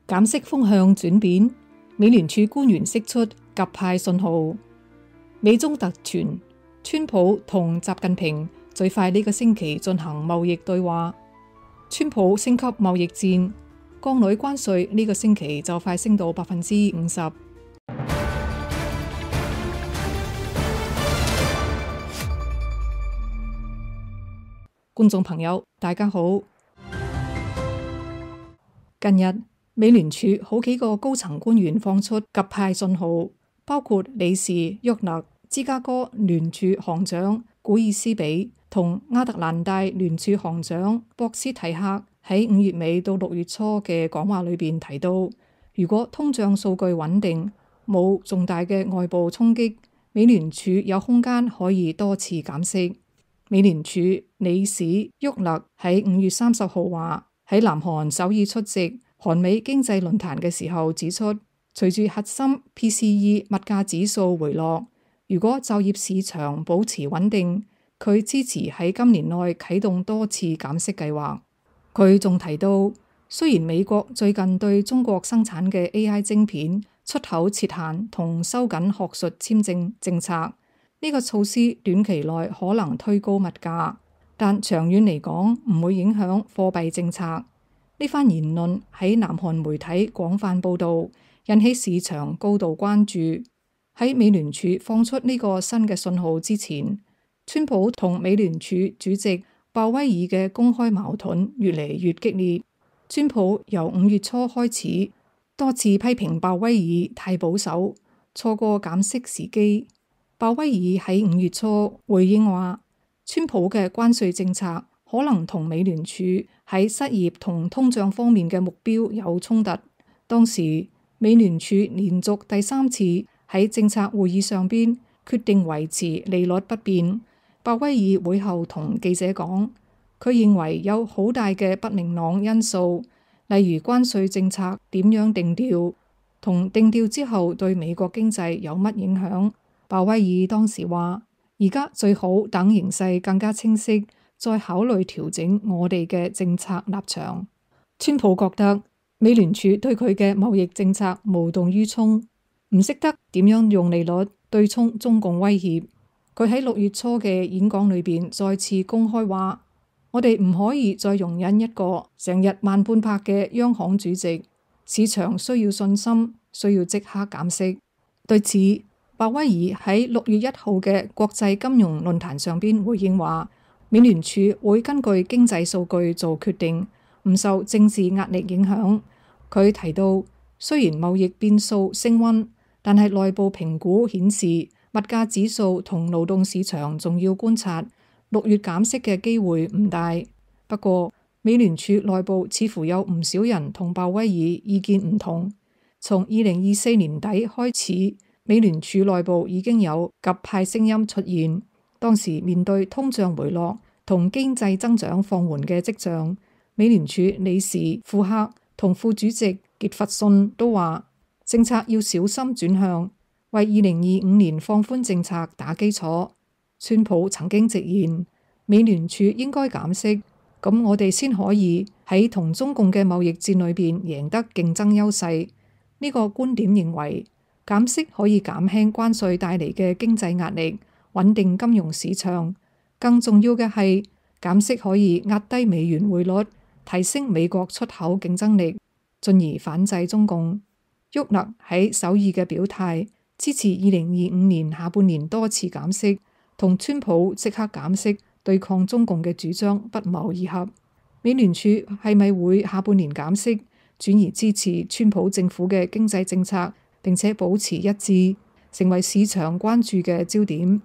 減息風向轉變，美聯儲官員釋出鴿派信號。美中突傳，川普同習近平最快呢個星期進行貿易對話。川普升級貿易戰，鋼鋁關稅呢個星期就快升到50%。觀眾朋友，大家好。近日，美聯儲好幾個高層官員放出鴿派信號，包括理事沃勒、芝加哥聯儲行長古爾斯比同亞特蘭大聯儲行長博斯提克喺5月尾到6月初嘅講話裏邊提到，如果通脹數據穩定，冇重大嘅外部衝擊，美聯儲有空間可以多次減息。美聯儲理事沃勒喺5月30號話，喺南韓首爾出席韓美經濟論壇嘅時候指出，隨住核心 PCE 物價指數回落，如果就業市場保持穩定，佢支持喺今年內啟動多次減息計劃。佢仲提到，雖然美國最近對中國生產嘅 AI 晶片出口設限同收緊學術簽證政策，呢個措施短期內可能推高物價，但長遠嚟講唔會影響貨幣政策。呢番言論喺南韓媒體廣泛報導，引起市場高度關注。喺美聯儲放出呢個新嘅信號之前，川普同美聯儲主席鮑威爾嘅公開矛盾越嚟越激烈。川普由5月初開始多次批評鮑威爾太保守，錯過減息時機。鮑威爾喺5月初回應話，川普嘅關稅政策可能同美聯儲喺失業同通脹方面嘅目標有衝突。當時美聯儲連續第3次喺政策會議上邊決定維持利率不變。鮑威爾會後同記者講，佢認為有好大嘅不明朗因素，例如關稅政策點樣定調，同定調之後對美國經濟有乜影響。鮑威爾當時話，而家最好等形勢更加清晰，再考慮調整我哋嘅政策立場。川普覺得美聯儲對佢嘅貿易政策無動於衷，唔識得點樣用利率對沖中共威脅。佢喺6月初嘅演講裏邊再次公開話，我哋唔可以再容忍一個成日慢半拍嘅央行主席，市場需要信心，需要即刻減息。對此，鮑威爾喺6月1號嘅國際金融論壇上邊回應話，美聯儲會根據經濟數據做決定，唔受政治壓力影響。佢提到，雖然貿易變數升溫，但係內部評估顯示物價指數同勞動市場仲要觀察，6月減息嘅機會唔大。不過，美聯儲內部似乎有唔少人同鮑威爾意見唔同。從2024年底開始，美聯儲內部已經有鴿派聲音出現。當時面對通脹回落同經濟增長放緩嘅跡象，美聯儲理事庫克同副主席傑弗遜都話，政策要小心轉向，為2025年放寬政策打基礎。川普曾經直言，美聯儲應該減息，咁我哋先可以喺同中共嘅貿易戰裏邊贏得競爭優勢。呢個觀點認為，減息可以減輕關稅帶嚟嘅經濟壓力，穩定金融市場。更重要嘅係，減息可以壓低美元匯率，提升美國出口競爭力，進而反制中共。沃勒喺首爾嘅表態，支持2025年下半年多次減息，同川普即刻減息對抗中共嘅主張不謀而合。美聯儲係咪會下半年減息，轉而支持川普政府嘅經濟政策，並且保持一致，成為市場關注嘅焦點。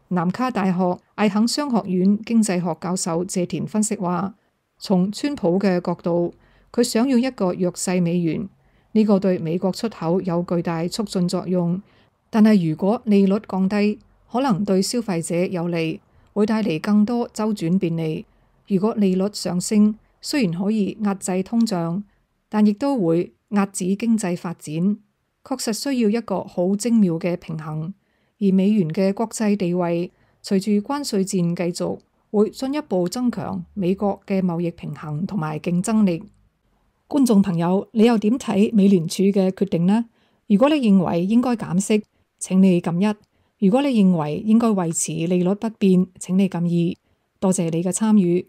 南卡大學艾肯商學院經濟學教授謝田分析話，從川普嘅角度，佢想要一個弱勢美元，呢個對美國出口有巨大促進作用。但係如果利率降低，可能對消費者有利，會帶嚟更多周轉便利。如果利率上升，雖然可以壓制通脹，但亦都會壓止經濟發展。確實需要一個好精妙嘅平衡。而美元嘅國際地位，隨住關稅戰繼續，會進一步增強美國嘅貿易平衡同埋競爭力。觀眾朋友，你又點睇美聯儲嘅決定呢？如果你認為應該減息，請你撳1；如果你認為應該維持利率不變，請你撳2。多謝你嘅參與。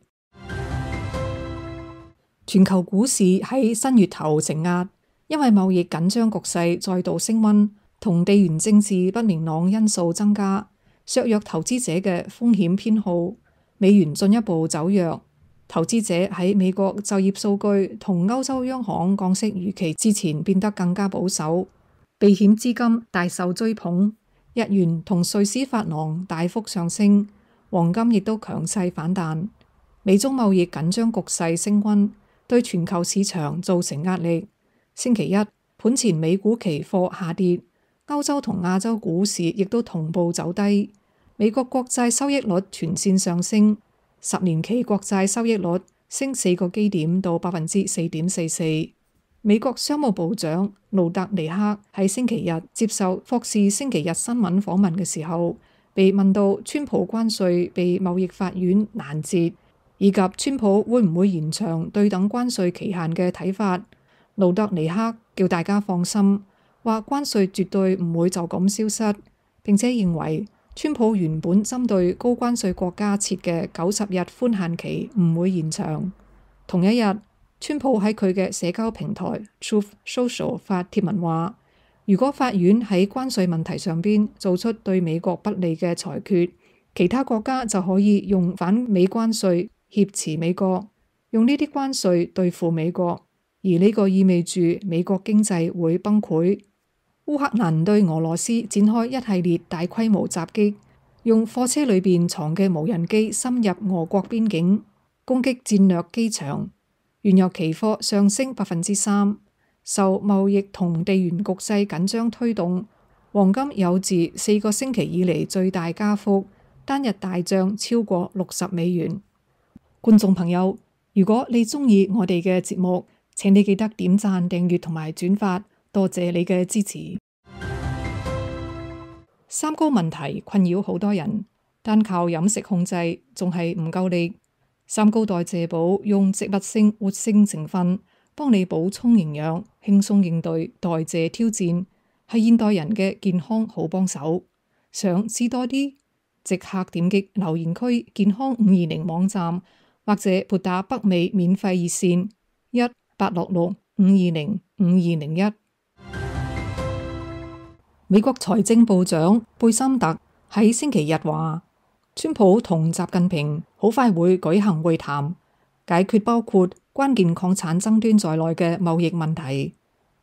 全球股市喺新月頭承壓，因為貿易緊張局勢再度升溫，同地緣政治不明朗因素增加，削弱投資者嘅風險偏好，美元進一步走弱。投資者喺美國就業數據同歐洲央行降息預期之前變得更加保守，避險資金大受追捧，日元同瑞士法郎大幅上升，黃金亦都強勢反彈。美中貿易緊張局勢升溫，對全球市場造成壓力。星期一，盤前美股期貨下跌，歐洲同亞洲股市亦都同步走低。美國國債收益率全線上升，10年期國債收益率升4個基點到 4.44%。美國商務部長盧特尼克喺星期日接受霍士星期日新聞訪問嘅時候，被問到川普關稅被貿易法院攔截，以及川普會唔會延長對等關稅期限嘅睇法，盧特尼克叫大家放心，話關稅絕對唔會就咁消失，並且認為川普原本針對高關稅國家設嘅90日寬限期唔會延長。同一日，川普喺佢嘅社交平台 Truth Social 發帖文話，如果法院喺關稅問題上邊做出對美國不利嘅裁決，其他國家就可以用反美關稅挾持美國，用呢啲關稅對付美國，而呢個意味住美國經濟會崩潰。烏克蘭對俄羅斯展開一系列大規模襲擊，用貨車裏邊藏嘅無人機深入俄國邊境，攻擊戰略機場。原油期貨上升3%，受貿易同地緣局勢緊張推動，黃金有自4個星期以嚟最大加幅，單日大漲超過$60。觀眾朋友，如果你鍾意我哋嘅節目，請你記得點讚、訂閱同埋轉發，多謝你嘅支持。三高問題困擾好多人，單靠飲食控制仲係唔夠力。三高代謝寶用植物性活性成分幫你補充營養，輕鬆應對代謝挑戰，係現代人嘅健康好幫手。想知多啲，即刻點擊留言區健康520網站，或者撥打北美免費熱線1-866-520-5201。美國財政部長貝森特喺星期日話，川普同習近平好快會舉行會談，解決包括關鍵礦產爭端在內嘅貿易問題。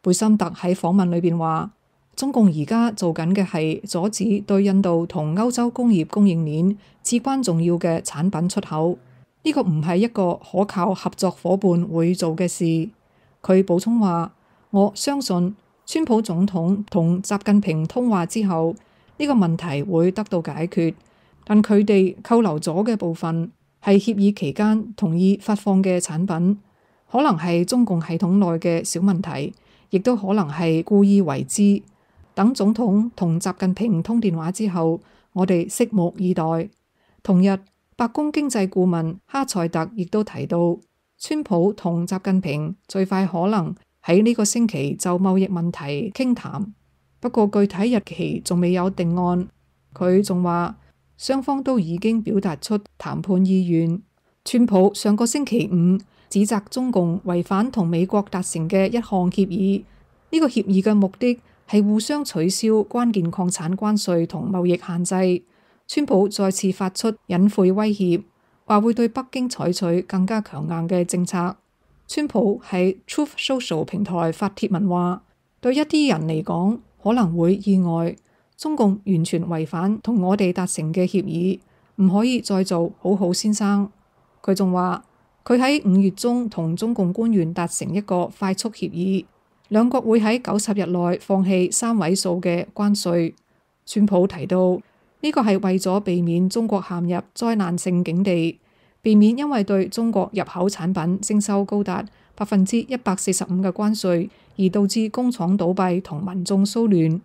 貝森特喺訪問裏邊話，中共而家做緊嘅係阻止對印度同歐洲工業供應鏈至關重要嘅產品出口，呢個唔係一個可靠合作夥伴會做嘅事。佢補充話，我相信川普總統同習近平通話之後，呢個問題會得到解決。但佢哋扣留咗嘅部分係協議期間同意發放嘅產品，可能係中共系統內嘅小問題，亦都可能係故意為之。等總統同習近平通電話之後，我哋拭目以待。同日，白宮經濟顧問哈塞特亦都提到，川普同習近平最快可能喺呢個星期就貿易問題傾談，不過具體日期仲未有定案。佢仲話，雙方都已經表達出談判意願。川普上個星期五指責中共違反同美國達成嘅一項協議，呢個協議嘅目的係互相取消關鍵礦產關稅同貿易限制。川普再次發出隱晦威脅，話會對北京採取更加強硬嘅政策。川普喺 Truth Social 平台發帖文話，對一啲人嚟講可能會意外，中共完全違反同我哋達成嘅協議，唔可以再做好好先生。佢仲話，佢喺5月中同中共官員達成一個快速協議，兩國會喺90日內放棄3位數嘅關稅。川普提到，呢個係為咗避免中國陷入災難性境地，避免因為對中國入口產品徵收高達145%嘅關稅，而導致工廠倒閉同民眾騷亂。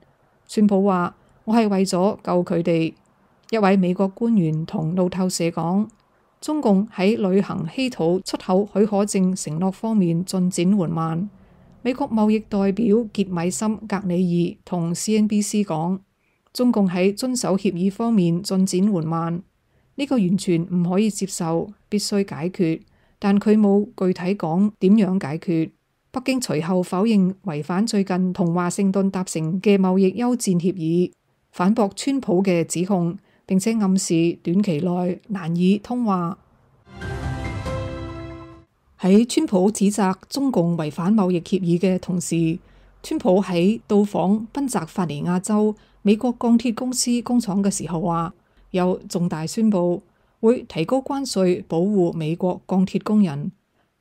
川普話，我係為咗救佢哋。一位美國官員同路透社講，中共喺履行稀土出口許可證承諾方面進展緩慢。美國貿易代表傑米森格里爾同 CNBC 講，中共喺遵守協議方面進展緩慢，呢個完全唔可以接受，必須解決，但佢冇具體講點樣解決。北京隨後否認違反最近同華盛頓達成嘅貿易休戰協議，反駁川普嘅指控，並且暗示短期內難以通話。喺川普指責中共違反貿易協議嘅同時，川普喺到訪賓夕法尼亞州美國鋼鐵公司工廠嘅時候話，有重大宣佈會提高關稅保護美國鋼鐵工人。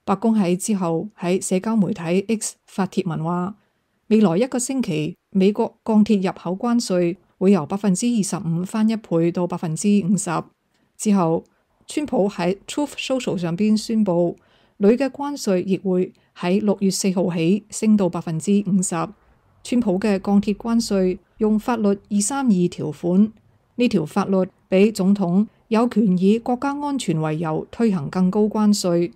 白宮喺之後喺社交媒體 X 發帖文話，未來一個星期美國鋼鐵入口關稅會由25%翻一倍到50%。之後，川普喺 Truth Social 上邊宣佈，鋁嘅關稅亦會喺6月4號起升到50%。川普嘅鋼鐵關稅用法律232條款，呢條法律俾總統有權以國家安全為由推行更高關稅。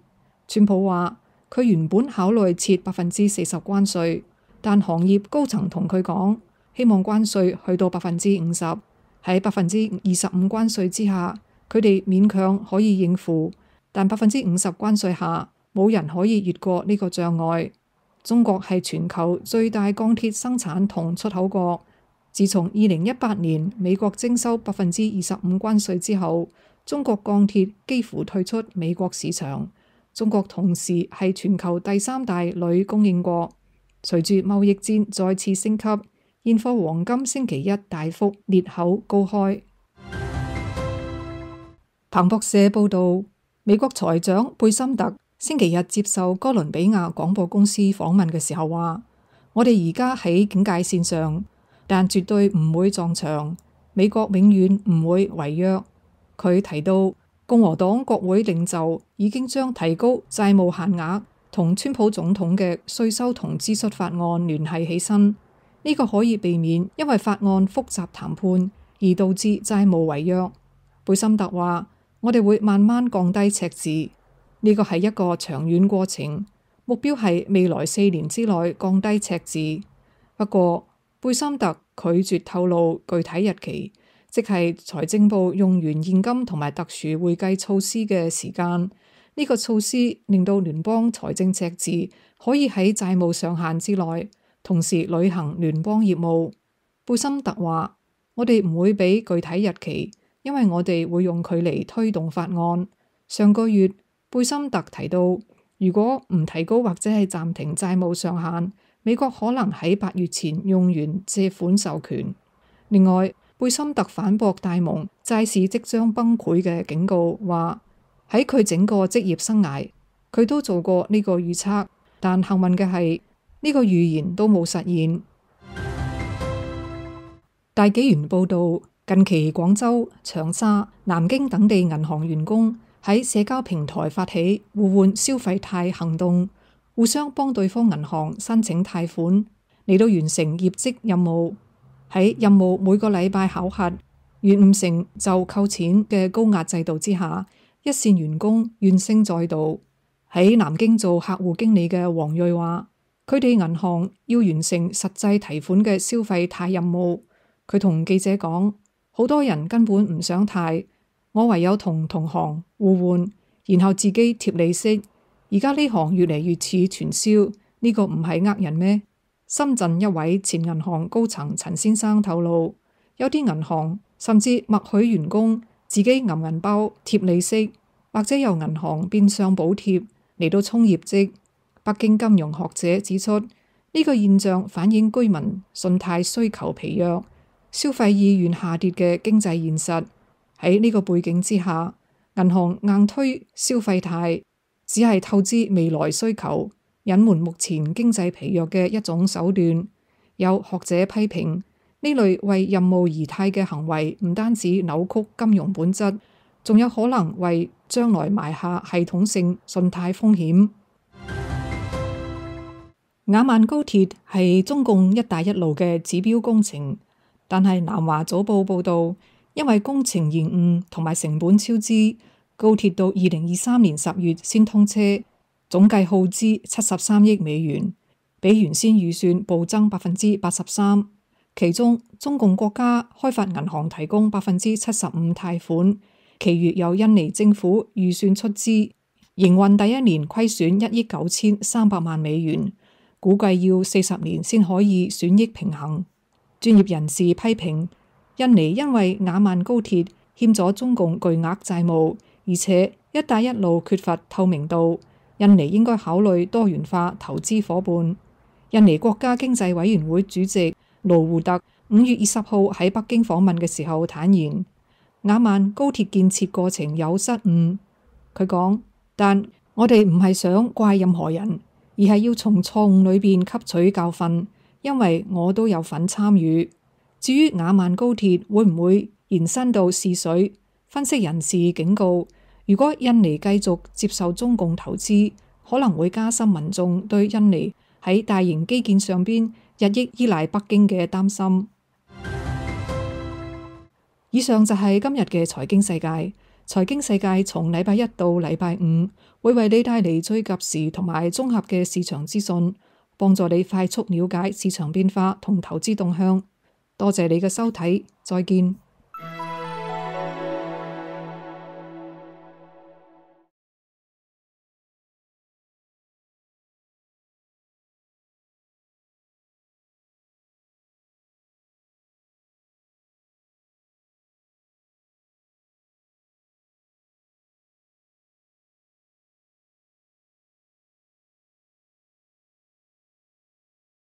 川普話佢原本考慮設40%關稅，但行業高層同佢講，希望關稅去到50%。喺25%關稅之下，佢哋勉強可以應付，但50%關稅下，冇人可以越過呢個障礙。中國係全球最大鋼鐵生產同出口國。自從2018年美國徵收25%關稅之後，中國鋼鐵幾乎退出美國市場。中國同時係全球第3大鋁供應國。隨住貿易戰再次升級，現貨黃金星期一大幅裂口高開。彭博社報道，美國財長貝森特星期日接受哥倫比亞廣播公司訪問嘅時候話，我哋而家喺警戒線上，但絕對唔會撞牆。美國永遠唔會違約。佢提到，共和黨國會領袖已經將提高債務限額同川普總統嘅稅收同支出法案聯繫起身，呢個可以避免因為法案複雜談判而導致債務違約。貝森特話，我哋會慢慢降低赤字，呢個係一個長遠過程，目標係未來4年之內降低赤字。不過，貝森特拒絕透露具體日期，即係財政部用完現金同埋特殊會計措施嘅時間。呢個措施令到聯邦財政赤字可以喺債務上限之內，同時履行聯邦業務。貝森特話，我哋唔會俾具體日期，因為我哋會用佢嚟推動法案。上個月，貝森特提到，如果唔提高或者係暫停債務上限，美國可能喺8月前用完借款授權。另外，貝森特反駁戴蒙債市即將崩潰嘅警告，話喺佢整個職業生涯，佢都做過呢個預測，但幸運嘅係呢個預言都冇實現。大紀元報道，近期廣州、長沙、南京等地銀行員工喺社交平台發起互換消費貸行動，互相幫對方銀行申請貸款，嚟到完成業績任務。喺任務每個禮拜考核，完唔成就扣錢嘅高壓制度之下，一線員工怨聲載道。喺南京做客戶經理嘅黃瑞話，佢哋銀行要完成實際提款嘅消費貸任務。佢同記者講，好多人根本唔想貸，我唯有同同行互換，然後自己貼利息。而家呢行越嚟越似傳銷，呢個唔係呃人咩？深圳一位前銀行高層陳先生透露，有啲銀行甚至默許員工自己揞銀包貼利息，或者由銀行變相補貼嚟到衝業績。北京金融學者指出，呢個現象反映居民信貸需求疲弱，消費意願下跌嘅經濟現實。喺呢個背景之下，銀行硬推消費貸，只係透支未來需求，隱瞞目前經濟疲弱嘅一種手段。有學者批評，呢類為任務而貸嘅行為唔單止扭曲金融本質，仲有可能為將來埋下系統性信貸風險。雅萬高鐵係中共一帶一路嘅指標工程，但係南華早報報道，因為工程延誤同埋成本超支，高鐵到2023年10月先通車，總計耗資73億美元，比原先預算暴增83%。其中，中共國家開發銀行提供75%貸款，其餘由印尼政府預算出資。營運第一年虧損1億9300萬美元，估計要40年先可以損益平衡。專業人士批評，印尼因為雅萬高鐵欠咗中共巨額債務，而且一帶一路缺乏透明度，印尼應該考慮多元化投資夥伴。印尼國家經濟委員會主席盧胡特5月20號喺北京訪問嘅時候坦言，雅萬高鐵建設過程有失誤。佢講，但我哋唔係想怪任何人，而係要從錯誤裏邊吸取教訓，因為我都有份參與。至於雅萬高鐵會唔會延伸到泗水，分析人士警告，如果印尼繼續接受中共投資，可能會加深民眾對印尼喺大型基建上邊日益依賴北京嘅擔心。以上就係今日嘅財經世界。財經世界從禮拜一到禮拜五會為你帶嚟最及時同埋綜合嘅市場資訊，幫助你快速了解市場變化同投資動向。多謝你嘅收睇，再見。